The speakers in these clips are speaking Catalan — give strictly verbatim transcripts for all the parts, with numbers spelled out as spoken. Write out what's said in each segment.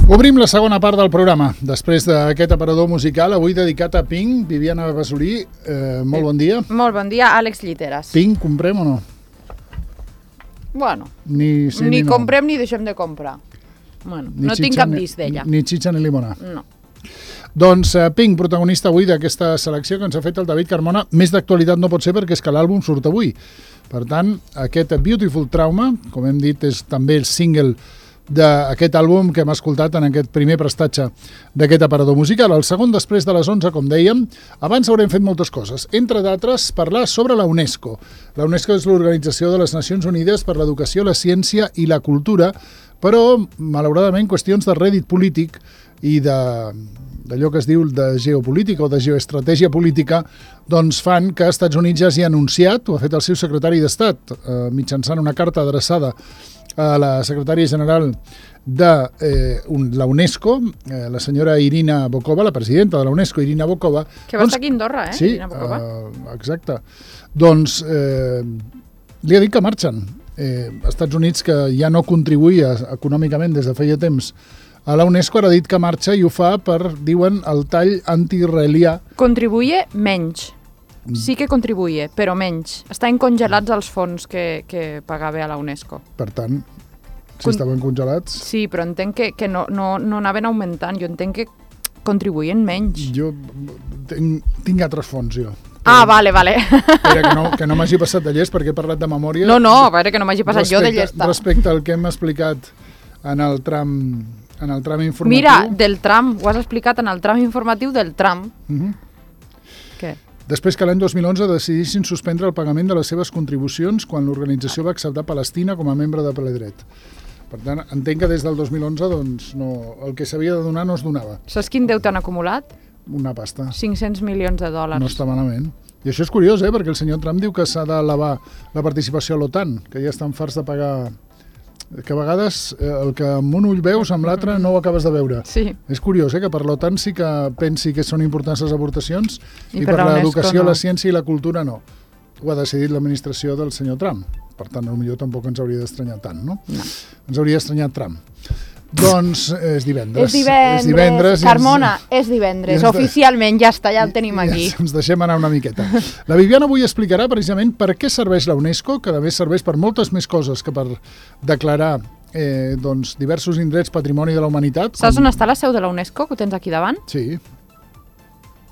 Obrim la segona part del programa. Després d'aquest aparador musical, avui dedicat a Pink, Viviana Basolí, eh, molt bon dia. Molt bon dia, Àlex Lliteres. Pink, comprem o no? Bueno, ni, sí, ni, ni comprem no. ni deixem de comprar. Bueno, ni no tinc cap disc d'ella. Ni xitxa ni limonà. No. Doncs eh, Pink, protagonista avui d'aquesta selecció que ens ha fet el David Carmona. Més d'actualitat no pot ser perquè és que l'àlbum surt avui. Per tant, aquest Beautiful Trauma, com hem dit, és també el single d'aquest àlbum que hem escoltat en aquest primer prestatge d'aquest aparador musical. El segon després de les onze, com dèiem. Abans haurem fet moltes coses, entre d'altres parlar sobre la UNESCO. La UNESCO és l'Organització de les Nacions Unides per l'Educació, la Ciència i la Cultura, però malauradament qüestions de rèdit polític i de d'allò que es diu de geopolítica o de geoestratègia política, doncs fan que els Estats Units ja hagi anunciat, ho ha fet el seu secretari d'Estat, eh, mitjançant una carta adreçada a la secretària general de eh, un, la UNESCO, eh, la senyora Irina Bokova, la presidenta de la UNESCO, Irina Bokova. Que va doncs, estar aquí a Andorra, eh? Sí, Irina Bokova. Eh, exacte. Doncs eh, li ha dit que marxen. Eh, Estats Units, que ja no contribuïa econòmicament des de feia temps a la UNESCO, ara ha dit que marxa i ho fa per, diuen, el tall anti-israelià. Contribuïa menys. Sí que contribuïa, però menys. Estan congelats els fons que, que pagava a la UNESCO. Per tant, si Con... estaven congelats... Sí, però entenc que, que no, no, no anaven augmentant. Jo entenc que contribuïen menys. Jo tinc, tinc altres fons, jo. Ah, vale, vale. Espera, que no, que no m'hagi passat de llest perquè he parlat de memòria. No, no, a veure, que no m'hagi passat respecte, jo de llesta. Respecte al que hem explicat en el tram, en el tram informatiu. Mira, del tram, ho has explicat en el tram informatiu del tram. Uh-huh. Què? Després que l'any dos mil onze decidissin suspendre el pagament de les seves contribucions quan l'organització va acceptar Palestina com a membre de ple dret. Per tant, entenc que des del dos mil onze doncs, no, el que s'havia de donar no es donava. Saps quin deute han acumulat? Una pasta. cinc-cents milions de dòlars. No està malament. I això és curiós, eh? Perquè el senyor Trump diu que s'ha d'elevar la participació a l'OTAN, que ja estan farts de pagar... que a vegades eh, el que amb un ull veus amb l'altre no ho acabes de veure. Sí. És curiós, eh? Que per l'OTAN sí que pensi que són importants les aportacions i, i per, per l'educació, no. la ciència i la cultura no. Ho ha decidit l'administració del senyor Trump. Per tant, potser tampoc ens hauria d'estranyar tant, no? No. Ens hauria d'estranyar Trump. Doncs és divendres. És divendres, és divendres Carmona, ens... és divendres. Ens... Oficialment ja està, ja el tenim aquí. Ja ens deixem anar una miqueta. La Viviana avui explicarà precisament per què serveix la UNESCO, que a més serveix per moltes més coses que per declarar eh, doncs, diversos indrets patrimoni de la humanitat. Saps com... on està la seu de la UNESCO, que ho tens aquí davant? Sí.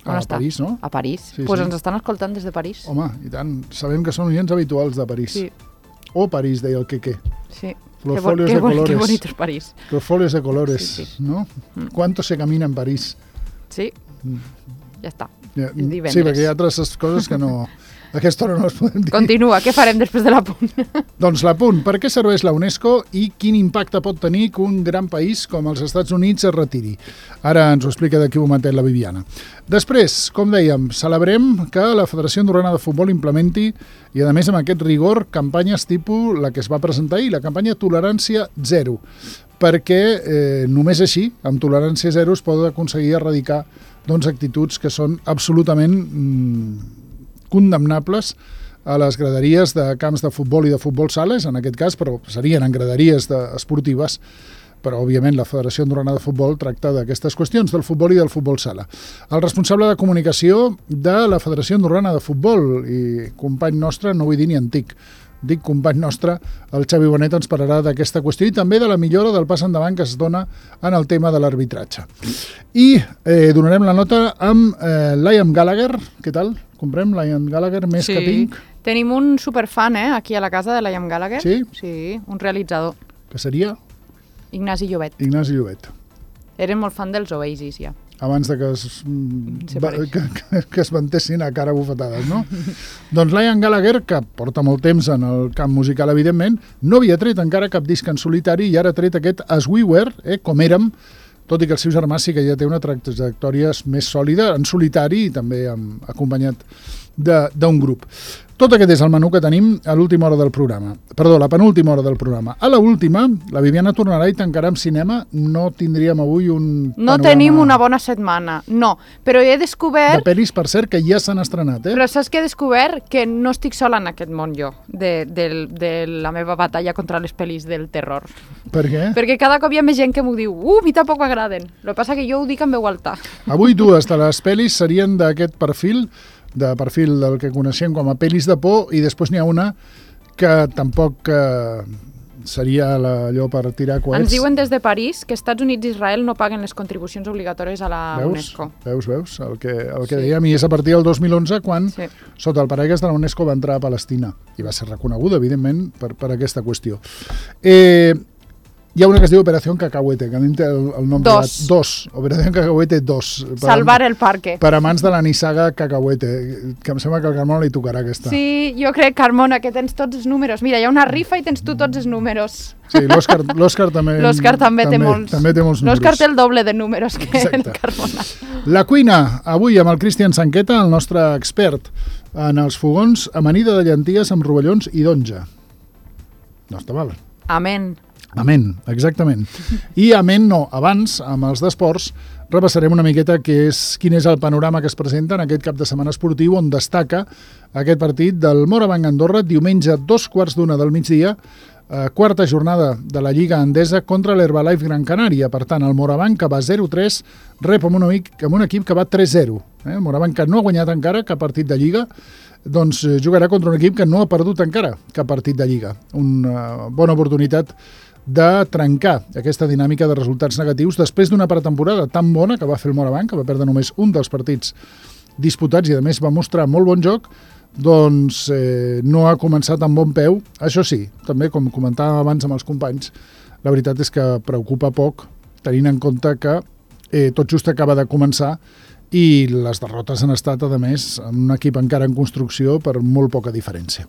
On a està? París, no? A París. Sí, pues sí. ens estan escoltant des de París. Home, i tant. Sabem que són oients habituals de París. Sí. O París, deia el Queque. Sí. Los qué folios qué de colores. Qué bonito es París. Los folios de colores, sí, sí. ¿no? Mm. ¿Cuánto se camina en París? Sí, mm. ja està. Ja, és divendres. Sí, perquè hi ha altres coses que no... A aquesta hora no les podem dir. Continua, què farem després de l'apunt? Doncs l'apunt, per què serveix la UNESCO i quin impacte pot tenir que un gran país com els Estats Units es retiri? Ara ens ho explica d'aquí un momentet la Viviana. Després, com dèiem, celebrem que la Federació Andorrana de Futbol implementi, i a més amb aquest rigor, campanyes tipus la que es va presentar ahir, la campanya Tolerància Zero, perquè eh, només així, amb tolerància zero, es pot aconseguir erradicar doncs, actituds que són absolutament... Mm, condemnables a les graderies de camps de futbol i de futbol sales, en aquest cas, però serien en graderies de, esportives, però òbviament la Federació Andorrana de Futbol tracta d'aquestes qüestions del futbol i del futbol sala. El responsable de comunicació de la Federació Andorrana de Futbol i company nostre, no vull dir ni antic, dic company nostre, el Xavi Bonet ens parlarà d'aquesta qüestió i també de la millora del pas endavant que es dona en el tema de l'arbitratge. I eh, donarem la nota amb eh, Liam Gallagher. Què tal? Comprem Liam Gallagher més sí. que Pink? Tenim un superfan, eh, aquí a la casa de Liam Gallagher. Sí? Sí, un realitzador. Que seria? Ignasi Llobet. Ignasi Llobet. Eren molt fan dels Oasis, ja. Abans de que es, va, que, que, que es ventessin a cara bufetades, no? Doncs Liam Gallagher, que porta molt temps en el camp musical, evidentment, no havia tret encara cap disc en solitari i ara ha tret aquest As We Were, eh, com érem, tot i que el seu germà sí que ja té una trajectòria més sòlida, en solitari i també amb, acompanyat d'un grup. Tot aquest és el menú que tenim a l'última hora del programa. Perdó, la penúltima hora del programa. A l'última, la Viviana tornarà i tancarà amb cinema. No tindríem avui un No panorama... tenim una bona setmana, no. Però he descobert... De pel·lis, per cert, que ja s'han estrenat, eh? Però saps que he descobert? Que no estic sola en aquest món jo, de, de, de la meva batalla contra les pel·lis del terror. Per què? Perquè cada cop hi ha més gent que m'ho diu, uh, a mi tampoc m'agraden. El que passa que jo ho dic en veu alta. Avui dues de les pel·lis serien d'aquest perfil, de perfil del que coneixem com a pel·lis de por, i després n'hi ha una que tampoc eh, seria la, allò per tirar coets. Ens diuen des de París que Estats Units i Israel no paguen les contribucions obligatòries a la veus? UNESCO. Veus, veus? El que, el que Sí. dèiem, i és a partir del dos mil onze quan, Sí. sota el paraigües de la UNESCO, va entrar a Palestina, i va ser reconeguda, evidentment, per, per aquesta qüestió. Eh, Hi ha una que es diu Operación Cacahuete, que a mi em té el, el nom... Dos. De, dos. Operación Cacahuete dos. Per, Salvar el parque. Per amants de la nissaga Cacahuete, que em sembla que al Carmona li tocarà aquesta. Sí, jo crec, Carmona, que tens tots els números. Mira, hi ha una rifa i tens tu tots els números. Sí, l'Òscar l'Òscar també, L'Òscar també, també té molts. També té molts números. L'Òscar té el doble de números que Exacte. el Carmona. La cuina, avui amb el Cristian Sanqueta, el nostre expert en els fogons, amanida de llenties amb rovellons i d'onja. No està mal. Amén. Amén, exactament. I amén no, abans, amb els d'esports, repassarem una miqueta què és, quin és el panorama que es presenta en aquest cap de setmana esportiu on destaca aquest partit del Morabanc Andorra, diumenge dos quarts d'una del migdia, eh, quarta jornada de la Lliga Endesa contra l'Herbalife Gran Canària. Per tant, el Morabanc, que va zero tres, rep amb un, amic, amb un equip que va tres zero. Eh? El Morabanc, que no ha guanyat encara cap partit de Lliga, doncs eh, jugarà contra un equip que no ha perdut encara cap partit de Lliga. Una bona oportunitat de trencar aquesta dinàmica de resultats negatius després d'una pretemporada tan bona que va fer el Morabanc, que va perdre només un dels partits disputats i a més va mostrar molt bon joc, doncs eh, no ha començat amb bon peu. Això sí, també com comentàvem abans amb els companys, la veritat és que preocupa poc tenint en compte que eh, tot just acaba de començar i les derrotes han estat, a més, amb un equip encara en construcció per molt poca diferència.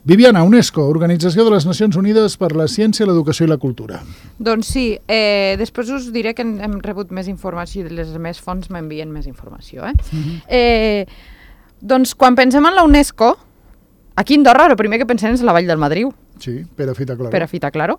Viviana, UNESCO, Organització de les Nacions Unides per la Ciència, l'Educació i la Cultura. Doncs sí, eh, després us diré que hem rebut més informació i les més fonts m'envien més informació. Eh? Uh-huh. eh, doncs quan pensem en la UNESCO, aquí a Andorra el primer que pensem és la Vall del Madriu. Sí, Perafita Claro. Perafita Claro.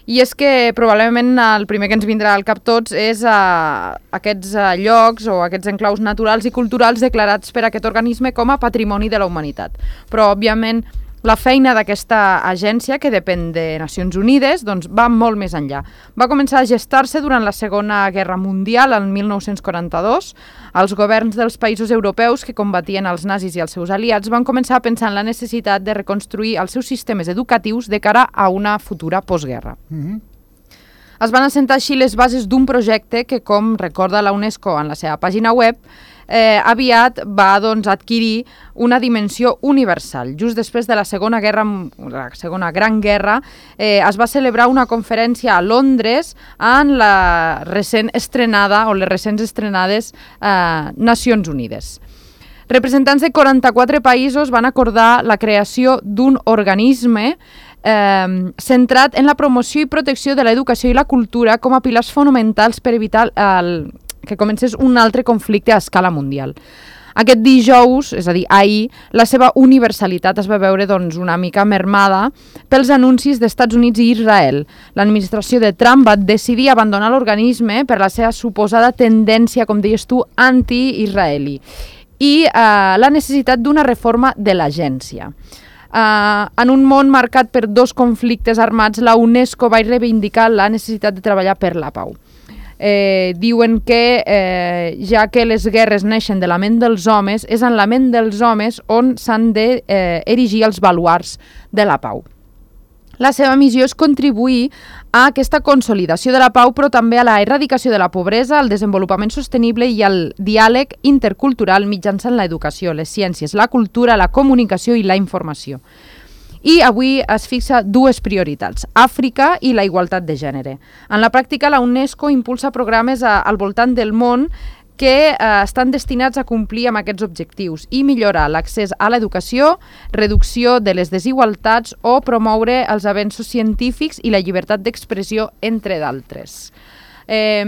I és que probablement el primer que ens vindrà al cap tots és uh, aquests uh, llocs o aquests enclaus naturals i culturals declarats per aquest organisme com a patrimoni de la humanitat. Però, òbviament, la feina d'aquesta agència, que depèn de Nacions Unides, doncs va molt més enllà. Va començar a gestar-se durant la Segona Guerra Mundial, el mil nou-cents quaranta-dos. Els governs dels països europeus que combatien els nazis i els seus aliats van començar a pensar en la necessitat de reconstruir els seus sistemes educatius de cara a una futura postguerra. Mm-hmm. Es van assentar així les bases d'un projecte que, com recorda la UNESCO en la seva pàgina web, eh, aviat va doncs, adquirir una dimensió universal. Just després de la Segona Guerra, la Segona Gran Guerra, eh, es va celebrar una conferència a Londres en la recent estrenada o les recents estrenades eh, Nacions Unides. Representants de quaranta-quatre països van acordar la creació d'un organisme eh, centrat en la promoció i protecció de l'educació i la cultura com a pilars fonamentals per evitar el, que comencés un altre conflicte a escala mundial. Aquest dijous, és a dir, ahir, la seva universalitat es va veure doncs, una mica mermada pels anuncis d'Estats Units i Israel. L'administració de Trump va decidir abandonar l'organisme per la seva suposada tendència, com deies tu, anti-israeli i eh, la necessitat d'una reforma de l'agència. Uh, en un món marcat per dos conflictes armats, la UNESCO va reivindicar la necessitat de treballar per la pau. Eh, diuen que eh, ja que les guerres neixen de la ment dels homes, és en la ment dels homes on s'han d'erigir eh, els baluards de la pau. La seva missió és contribuir a aquesta consolidació de la pau, però també a la erradicació de la pobresa, al desenvolupament sostenible i al diàleg intercultural mitjançant l'educació, les ciències, la cultura, la comunicació i la informació. I avui es fixa dues prioritats, Àfrica i la igualtat de gènere. En la pràctica, la UNESCO impulsa programes a, al voltant del món que eh, estan destinats a complir amb aquests objectius i millorar l'accés a l'educació, reducció de les desigualtats o promoure els avenços científics i la llibertat d'expressió, entre d'altres. Eh,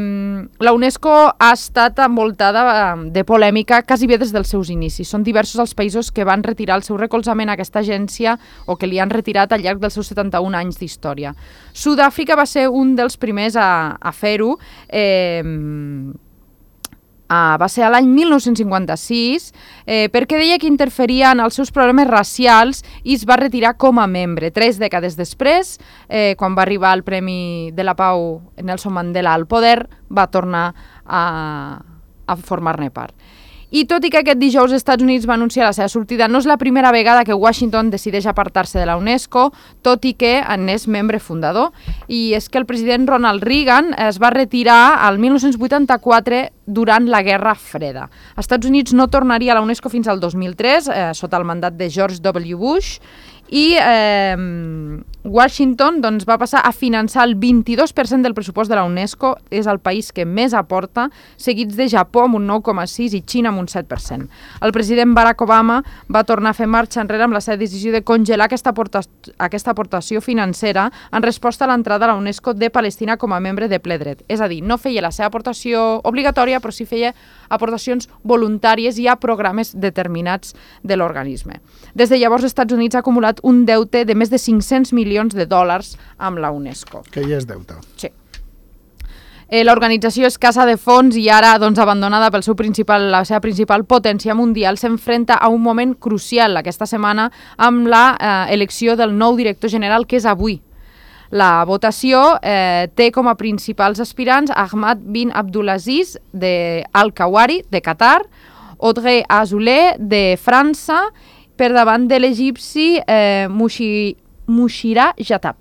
la UNESCO ha estat envoltada de polèmica quasi bé des dels seus inicis. Són diversos els països que van retirar el seu recolzament a aquesta agència o que li han retirat al llarg dels seus setanta-un anys d'història. Sud-àfrica va ser un dels primers a, a fer-ho. Eh, Ah, va ser a l'any mil nou-cents cinquanta-sis, eh, perquè deia que interferia en els seus problemes racials i es va retirar com a membre. Tres dècades després, eh, quan va arribar el Premi de la Pau Nelson Mandela al poder, va tornar a, a formar-ne part. I tot i que aquest dijous els Estats Units va anunciar la seva sortida, no és la primera vegada que Washington decideix apartar-se de la UNESCO, tot i que n'és membre fundador. I és que el president Ronald Reagan es va retirar al mil nou-cents vuitanta-quatre durant la Guerra Freda. Els Estats Units no tornaria a la UNESCO fins al dos mil tres, eh, sota el mandat de George W. Bush, i eh, Washington doncs, va passar a finançar el vint-i-dos per cent del pressupost de la UNESCO, és el país que més aporta, seguits de Japó amb un nou coma sis i Xina amb un set per cent. El president Barack Obama va tornar a fer marxa enrere amb la seva decisió de congelar aquesta, aporta aquesta aportació financera en resposta a l'entrada a la UNESCO de Palestina com a membre de ple dret. És a dir, no feia la seva aportació obligatòria, però sí feia aportacions voluntàries i a programes determinats de l'organisme. Des de llavors, els Estats Units ha acumulat un deute de més de cinc-cents milions de dòlars amb la UNESCO. Que ja és deute. Sí. Eh, L'organització escassa de fons i ara doncs, abandonada pel seu principal, la seva principal potència mundial s'enfrenta a un moment crucial aquesta setmana amb la eh, elecció del nou director general, que és avui. La votació eh, té com a principals aspirants Ahmad bin Abdulaziz de Al-Kawari, de Qatar, Audrey Azoulay, de França, per davant de l'egipci eh, Mushira Jatab.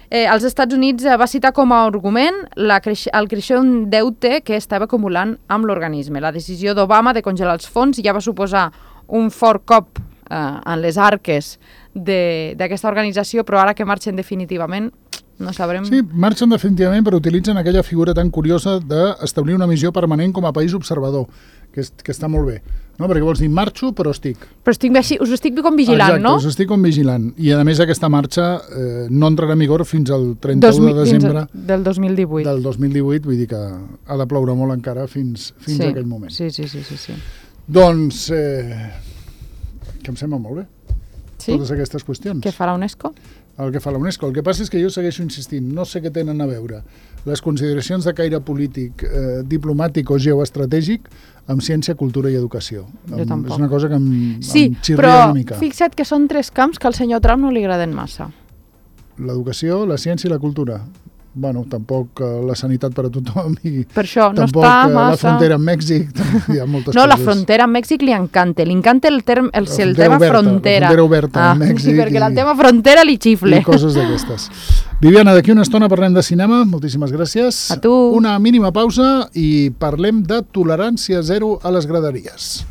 Eh, els Estats Units eh, va citar com a argument la creix el creixent deute que estava acumulant amb l'organisme. La decisió d'Obama de congelar els fons ja va suposar un fort cop eh, en les arques d'aquesta organització, però ara que marxen definitivament no sabrem... Sí, marxen definitivament, però utilitzen aquella figura tan curiosa d'establir una missió permanent com a país observador, que, és, que està molt bé. No? Perquè vols dir, marxo, però estic. Però estic, us estic com vigilant, Exacte, no? Exacte, us estic com vigilant. I a més aquesta marxa eh, no entrarà en vigor fins al trenta-u de desembre del dos mil divuit. Del dos mil divuit, vull dir que ha de ploure molt encara fins, fins sí, a aquell moment. Sí, sí, sí, sí, sí. Doncs, eh, que em sembla molt bé. Sí? Totes aquestes qüestions. Què fa la UNESCO? El que fa la UNESCO. El que passa és que jo segueixo insistint, no sé què tenen a veure les consideracions de caire polític, eh, diplomàtic o geoestratègic amb ciència, cultura i educació. Jo Amb, tampoc. és una cosa que em, sí, em xirria però una mica. Fixa't que són tres camps que al senyor Trump no li agraden massa. L'educació, la ciència i la cultura. Bueno, tampoc uh, la sanitat per a tothom i per això no tampoc està uh, massa... la frontera amb Mèxic, hi ha moltes no, coses. la frontera amb Mèxic li encanta, li encanta el, term, el, el frontera tema oberta, frontera. La frontera oberta ah, amb Mèxic. Sí, perquè i, el tema frontera li xifle. I coses d'aquestes. Viviana, d'aquí una estona parlem de cinema, moltíssimes gràcies. A tu. Una mínima pausa i parlem de tolerància zero a les graderies.